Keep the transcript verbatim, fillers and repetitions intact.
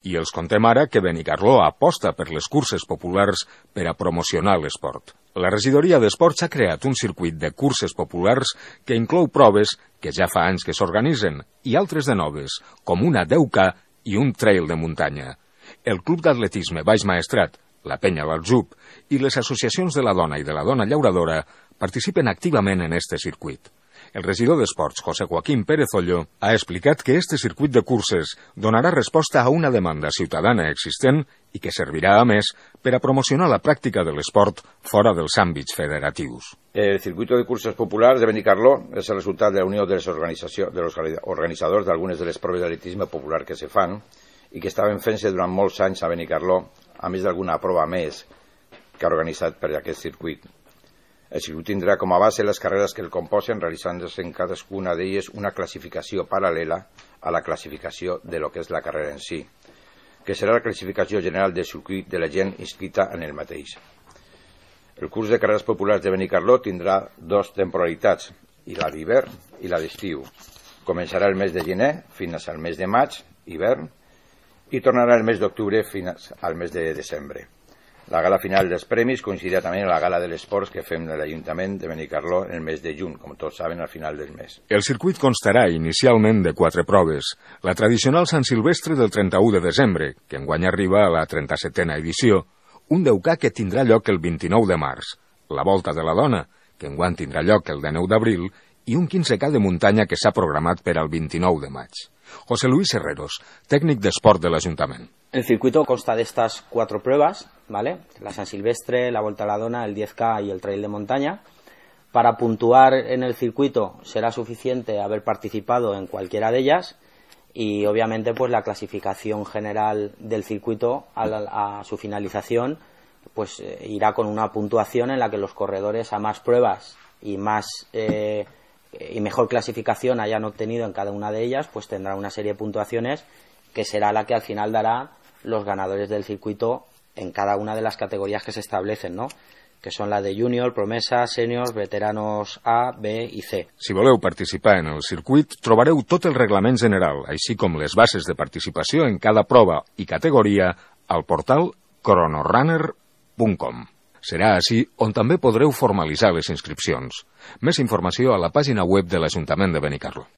I els contem ara que Benicarló aposta per les curses populars per a promocionar l'esport. La regidoria d'Esports ha creat un circuit de curses populars que inclou proves que ja fa anys que s'organitzen i altres de noves, com una deu K i un trail de muntanya. El Club d'Atletisme Baix Maestrat, la Penya l'Aljub i les associacions de la dona i de la dona llauradora participen activament en este circuit. El regidor d'Esports, José Joaquín Pérez Olló, ha explicat que este circuit de curses donarà resposta a una demanda ciutadana existent i que servirà, a més, per a promocionar la pràctica de l'esport fora dels àmbits federatius. El circuito de curses populars de Benicarló és el resultat de la unió de les organitzacions, de los organitzadors d'algunes de les proves d'atletisme popular que se fan i que estaven fent-se durant molts anys a Benicarló, a més d'alguna prova més que ha organitzat per aquest circuit. El circuit tindrà com a base les carreres que el composen, realitzant-se en cadascuna d'elles una classificació paral·lela a la classificació de lo que és la carrera en si, que serà la classificació general del circuit de la gent inscrita en el mateix. El curs de carreres populars de Benicarló tindrà dos temporalitats, i la d'hivern i la d'estiu. Començarà el mes de gener fins al mes de maig, hivern, i tornarà el mes d'octubre fins al mes de desembre. La gala final dels premis coincidirà també amb la gala de l'Esports que fem de l'Ajuntament de Benicarló en el mes de juny, com tots saben, al final del mes. El circuit constarà inicialment de quatre proves. La tradicional Sant Silvestre del trenta-u de desembre, que enguany arriba a la trenta-setena edició, un deu K que tindrà lloc el vint-i-nou de març, la Volta de la Dona, que enguany tindrà lloc el dinou d'abril, i un quinze K de muntanya que s'ha programat per al vint-i-nou de maig. José Luis Herreros, tècnic d'esport de l'Ajuntament. El circuito consta de estas cuatro pruebas, ¿vale? La San Silvestre, la Volta a la Dona, el diez K y el trail de montaña. Para puntuar en el circuito será suficiente haber participado en cualquiera de ellas y obviamente pues la clasificación general del circuito a, la, a su finalización pues eh, irá con una puntuación en la que los corredores a más pruebas y más eh, y mejor clasificación hayan obtenido en cada una de ellas, pues tendrán una serie de puntuaciones que será la que al final dará los ganadores del circuito en cada una de las categorías que se establecen, ¿no? Que son la de junior, promesa, seniors, veteranos A, B i C. Si voleu participar en el circuit, trobareu tot el reglament general, així com les bases de participació en cada prova i categoria al portal cronorunner punt com. Serà així on també podreu formalitzar les inscripcions. Més informació a la pàgina web de l'Ajuntament de Benicarló.